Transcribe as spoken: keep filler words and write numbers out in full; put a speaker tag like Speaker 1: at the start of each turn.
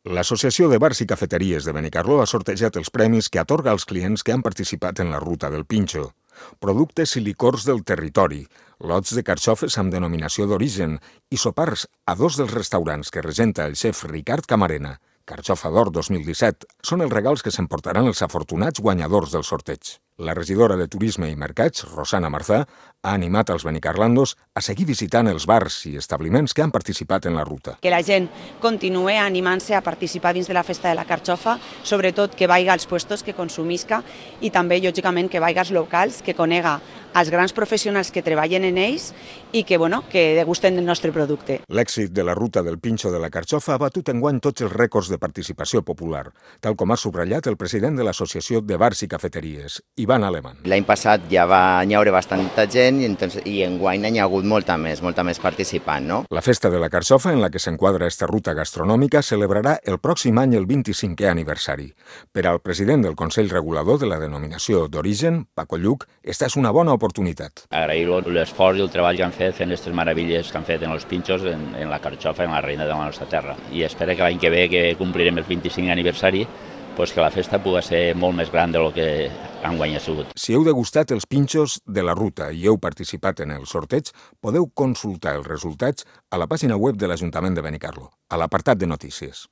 Speaker 1: L'Associació de Bars i Cafeteries de Benicarló ha sortejat els premis que atorga als clients que han participat en la Ruta del Pinxo. Productes i licors del territori, lots de carxofes amb denominació d'origen i sopars a dos dels restaurants que regenta el xef Ricard Camarena, Carxofa d'Or dos mil disset, són els regals que s'emportaran els afortunats guanyadors del sorteig. La regidora de Turisme i Mercats, Rosana Marzà, ha animat als benicarlandos a seguir visitant els bars i establiments que han participat en la ruta.
Speaker 2: Que la gent continue animant-se a participar dins de la festa de la carxofa, sobretot que vaiga als puestos que consumisca i també, lògicament, que vaiga als locals, que conega els grans professionals que treballen en ells i que, bueno, que degusten del nostre producte.
Speaker 1: L'èxit de la Ruta del Pinxo de la Carxofa ha batut enguany tots els rècords de participació popular, tal com ha subratllat el president de l'Associació de Bars i Cafeteries, Ivan Aleman.
Speaker 3: L'any passat ja va hi haure bastanta gent i, entonces, i enguany n'hi ha hagut molta més, molta més participant, no?
Speaker 1: La festa de la Carxofa, en la que s'enquadra esta ruta gastronòmica, celebrarà el pròxim any el vint-i-cinquè aniversari. Per al president del Consell Regulador de la denominació d'origen, Paco Lluc, esta és una bona oportunitat.
Speaker 4: Agrair l'esforç i el treball que han fet fent aquestes meravelles que han fet en els pinxos, en, en la Carxofa, en la reina de la nostra terra. I espero que l'any que ve, que complirem el vint-i-cinquè aniversari, pues que la festa pugui ser molt més gran del que enguany ha sigut.
Speaker 1: Si heu degustat els pinxos de la ruta i heu participat en el sorteig, podeu consultar els resultats a la pàgina web de l'Ajuntament de Benicarló, a l'apartat de notícies.